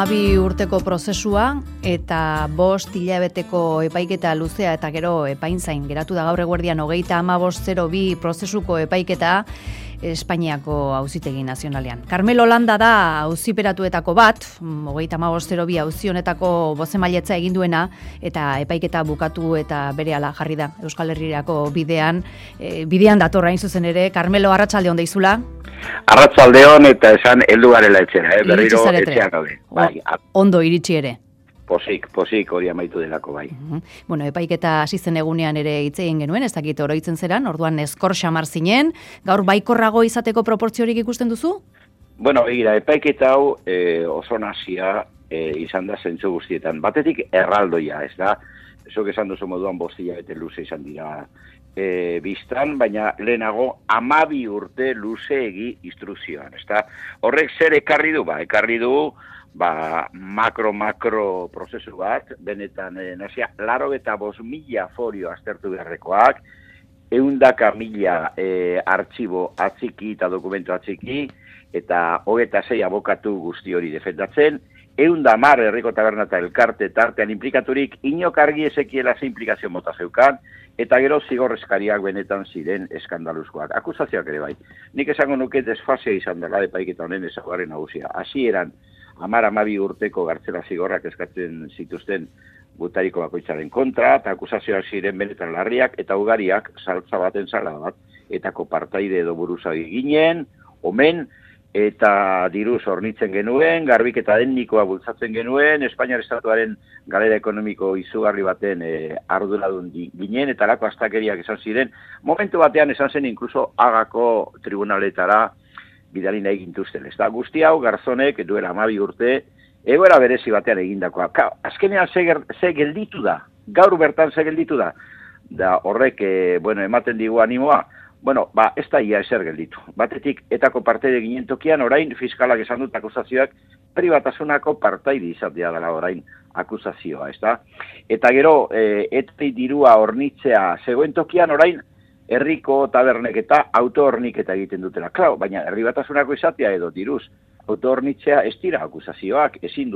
12 urteko prozesua eta 5 hilabeteko epaiketa luzea eta gero epainzain geratu da gaur eguerdian 35.02 prozesuko epaiketa Espainiako Auzitegi Nazionalean. Carmelo Landa da auziperatuetako bat, 35.02 auzi honetako bozemailetza egin duena eta epaiketa bukatu eta berehala jarri da Euskal Herrirako bidean datorra hain zuzen ere. Carmelo, arratsaldeon deizula. Arratsaldeon eta esan heldu garela etxera, berriro etxean gaude. Bai, ondo iritsi ere. Posik hori amaitu delako bai. Bueno, epaiketa hasi zen egunean ere hitz egin genuen, ez dakit oroitzen zeran, orduan eskor xamar zinen, gaur baikorrago izateko proportziorik ikusten duzu? Bueno, begira, epaiketa hau oso nasia izan da zentzu guztietan. Batetik erraldoia, ez da? Zuk esan duzu moduan 5 hilabete luze izan dira biztan, baina lehenago 12 urte luzeegi instrukzioan, ez da? Horrek zer ekarri du? Ekarri du makro prozesu bat, benetan nazia, 85.000 folio aztertu beharrekoak, 100.000 artxibo atziki eta dokumentu atziki, eta 26 abokatu guzti hori defendatzen, 110 herriko taberna eta elkarte tartean implikaturik, inok argi ezekiela ze implikazio mota zeukan, eta gero zigorrezkariak benetan ziren eskandaluzkoak. Akusazioak ere bai. Nik esango nuke desfasea izan dela epaiketa honen ezaugarri nagusia. Hasieran 12 urteko gartzela zigorrak eskatzen zituzten gutariko bakoitzaren kontra, eta akusazioak ziren benetan larriak, eta ugariak saltza baten sala bat, etako partaide edo buruzagi ginen, omen, eta diruz hornitzen genuen, garbiketa etnikoa bultzatzen genuen, Espainiar Estatuaren galera ekonomiko izugarri baten arduradun ginen, eta lako astakeriak esan ziren, momentu batean esan zen inkluso Hagako tribunaletara bidali nahi gintuzten. Ez da, guzti hau garzonek duela 12 urte, egoera berezi batean egindakoa. Azkenean ze gelditu da, gaur bertan ze gelditu da, da horrek, ematen digu animoa, ez da ia ezer gelditu. Batetik, etako partaide ginen tokian, orain fiskalak esan dut akusazioak, pribatasunako partaide izatea dela orain akusazioa, ez da? Eta gero, etari dirua hornitzea zegoen tokian, orain, herriko tabernek eta autohorniketa egiten dutela. Klau, baina herri batasunako izatea edo diruz, autohornitzea ez dira akusazioak, ezin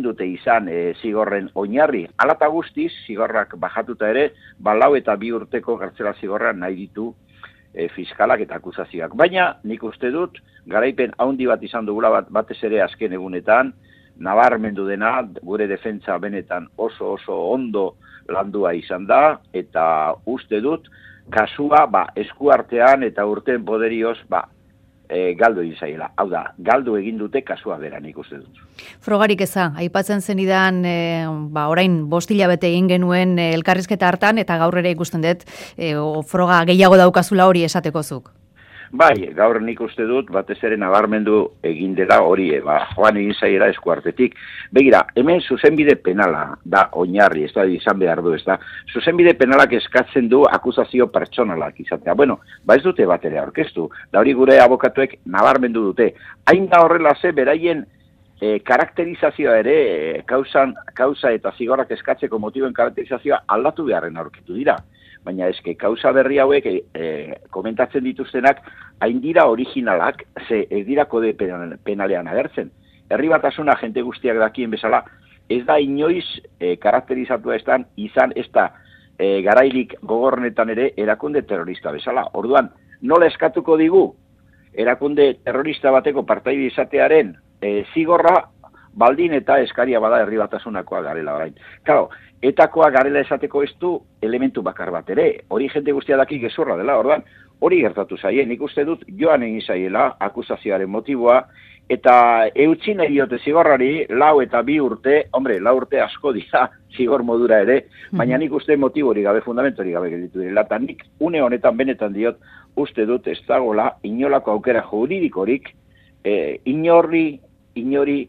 dute izan zigorren oinarri. Alata guztiz, zigorrak bajatuta ere, 4 eta 2 urteko gartzela zigorra nahi ditu fiskalak eta akusazioak. Baina, nik uste dut, garaipen haundi bat izan dugula batez ere azken egunetan, nabarmendu dena, gure defentsa benetan oso ondo landua izan da, eta uste dut, kasua eskuartean eta urteen poderioz galdu egin zaiela. Hau da, galdu egin dute kasua bera, nik uste dut. Frogarik eza, aipatzen zenidan, orain 5 hilabete egin genuen elkarrizketa hartan, eta gaur ere ikusten dut, froga gehiago daukazula hori esatekozuk. Bai, gaur nik uste dut, batez ere nabarmendu egin dela hori, joan egin zaiela eskuartetik. Begira, hemen zuzenbide penala da oinarri, ez da izan behar du, ez da. Zuzenbide penalak eskatzen du akusazio pertsonalak izatea. Ez dute bat ere aurkeztu, da hori gure abokatuek nabarmendu dute. Hain da horrela ze, beraien karakterizazioa ere, kausa eta zigorrak eskatzeko motiboen karakterizazioa aldatu beharren aurkitu dira. Baina eske kausa berri hauek komentatzen dituztenak hain dira originalak, ze ez dira kode penalean agertzen. Herri batasuna jente guztiak dakien bezala, ez da inoiz karakterizatua izan ez da garailik gogornetan ere erakunde terrorista bezala. Orduan, nola eskatuko digu erakunde terrorista bateko partaide izatearen zigorra baldin eta eskaria bada herri batasunakoa garela orain. Claro, etakoa garela esateko ez du elementu bakar bat ere. Hori jente guztia daki gezurra dela, orduan, hori gertatu zaien. Nik uste dut joan egin zaiela akusazioaren motiboa, eta eutsi nahi diote zigorrari 4 eta 2 urte, 4 urte asko dira zigor modura ere, baina nik uste motibo hori gabe, fundamentu hori gabe gelditu dira. Eta nik une honetan benetan diot, uste dut ez dagoela inolako aukera juridikorik, inori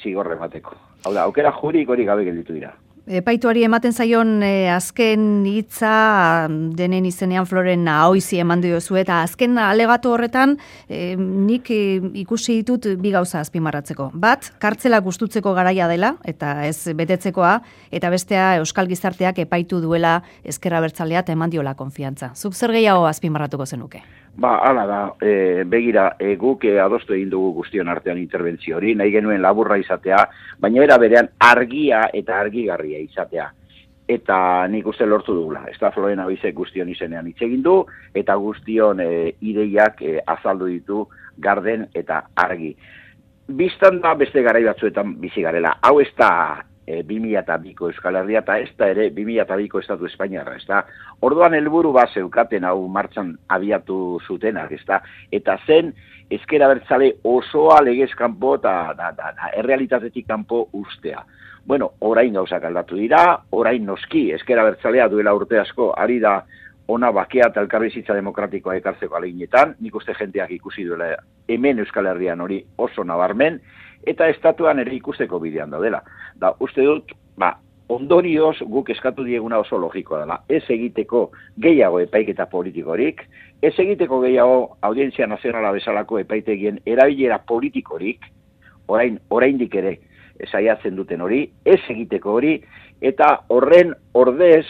zigorre bateko. Hau da, aukera juridikorik gabe gelditu dira. Epaituari ematen zaion azken hitza denen izenean Floren Ahoizi eman diozu, eta azken alegato horretan nik ikusi ditut 2 gauza azpimarratzeko. Bat, kartzela gustutzeko garaia dela, eta ez betetzekoa, eta bestea Euskal Gizarteak epaitu duela ezker abertzalea eta eman diola konfiantza. Zuk zer gehiago azpimarratuko zenuke? Hala da, begira, guk adostu egin dugu guztion artean interbentzio hori, nahi genuen laburra izatea, baina era berean argia eta argigarria izatea. Eta nik uste lortu dugula. Ez da Florena Bizek guztion izenean hitz egin du, eta guztion ideiak azaldu ditu garden eta argi. Bistan da beste garai batzuetan bizi garela. Hau ez da 2002ko Euskal Herria eta ez da ere 2002ko Estatu Espainiarra, ez da. Orduan helburu bat zeukaten hau martxan abiatu zutenak, ez da. Eta zen ezker abertzale osoa legez kanpo eta errealitatetik kanpo ustea. Bueno, orain gauzak aldatu dira, orain noski, ezker abertzalea duela urte asko, ari da ona bakea eta elkarbizitza demokratikoa ekartzeko aleginetan, nik uste jenteak ikusi duela hemen Euskal Herrian hori oso nabarmen, eta estatuan ere ikusteko bidean daudela. Da, uste dut, ondorioz guk eskatu dieguna oso logikoa dela. Ez egiteko gehiago epaiketa politikorik, ez egiteko gehiago audientzia nazionala bezalako epaitegien erabilera politikorik, oraindik ere saiatzen duten hori, ez egiteko hori, eta horren ordez,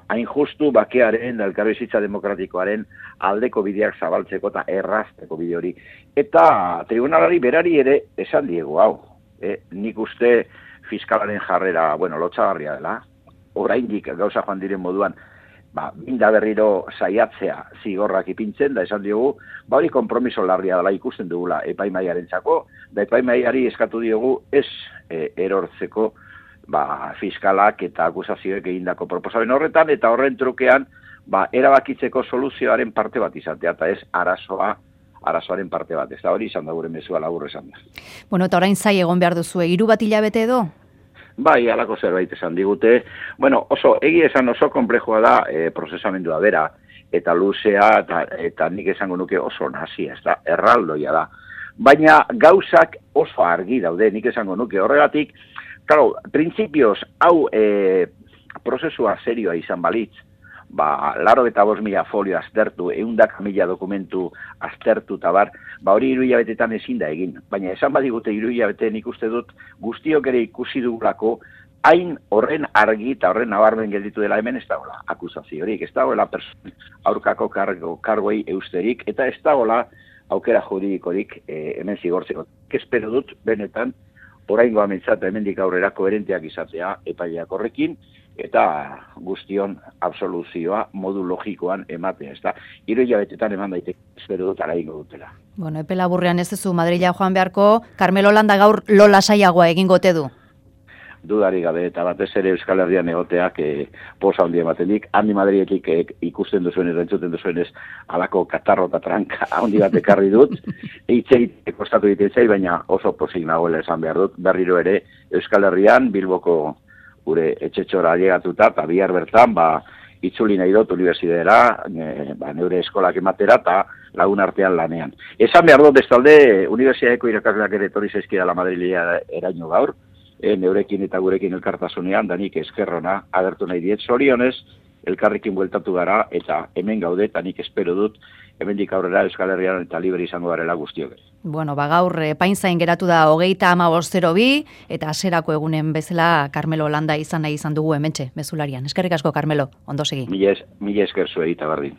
hain justu bakearen, elkarbizitza demokratikoaren aldeko bideak zabaltzeko eta errazteko bide hori. Eta tribunalari berari ere esan diegu hau. Nik uste fiskalaren jarrera, lotsagarria dela, oraindik gauza joan diren moduan, binda berriro saiatzea zigorrak ipintzen, da esan diogu, hori konpromiso larria dela ikusten dugula epaimaiarentzako, da epaimaiari eskatu diogu ez erortzeko fiskalak eta akusazioek egindako proposamen horretan, eta horren trukean erabakitzeko soluzioaren parte bat izatea, eta ez arazoaren parte bat. Ez da hori izan da gure mezua labur esan da. Bueno, eta orain zai egon behar duzu, 3 bat hilabete edo? Bai, halako zerbait esan digute. Egia esan oso konplexua da prozesamendua bera, eta luzea, eta nik esango nuke oso nazia, ez da, erraldoia da. Baina gauzak oso argi daude, nik esango nuke horregatik, claro, printzipioz, hau prozesua serioa izan balitz, 85.000 folio aztertu, 100.000 dokumentu aztertu eta hori 3 hilabetetan ezin da egin. Baina esan badigute 3 hilabete nik uste dut guztiok ere ikusi dugulako, hain horren argi eta horren nabarmen gelditu dela hemen ez dagoela akusaziorik, ez dagoela aurkako kargoi eusterik, eta ez dagoela aukera juridikorik hemen zigortzeko. Espero dut, benetan, oraingoa mentzat hemendik aurrera koherenteak izatea epaileak horrekin, eta guztion absoluzioa modu logikoan ematea, ez da. 3 hilabetetan eman daiteke, espero dut araingo dutela. Epe laburrean ez duzu Madrila joan beharko, Carmelo Landa gaur lo lasaiagoa egingote du? Dudari gabe, eta batez ere Euskal Herrian egoteak posa handia ematenik, handi Madriletik ikusten duzuenez, entzuten duzuenez, alako katarro eta tranka handi bat ekarri dut, eitzeit kostatu egiten zai, baina oso posik nagoela esan behar dut, berriro ere Euskal Herrian, Bilboko gure etxetxora llegatuta, eta bihar bertan, itzuli nahi dut unibertsitatera, neure eskolak ematera, eta lagun artean lanean. Esan behar dut, bestalde, unibertsitateko irakasleak ere etorri zaizkidala Madrilea eraino gaur, neurekin eta gurekin elkartasunean, danik eskerrona agertu nahi diet. Zorionez, elkarrekin bueltatu gara, eta hemen gaude, eta nik espero dut, hemendik aurrera Euskal Herrian eta libre izango garela guztiok. Gaur epainzain geratu da 35.02, eta hasierako egunen bezala Carmelo Landa izan nahi izan dugu hementxe, mezularian. Eskerrik asko, Carmelo, ondo segi. Mila esker zuei eta berdin.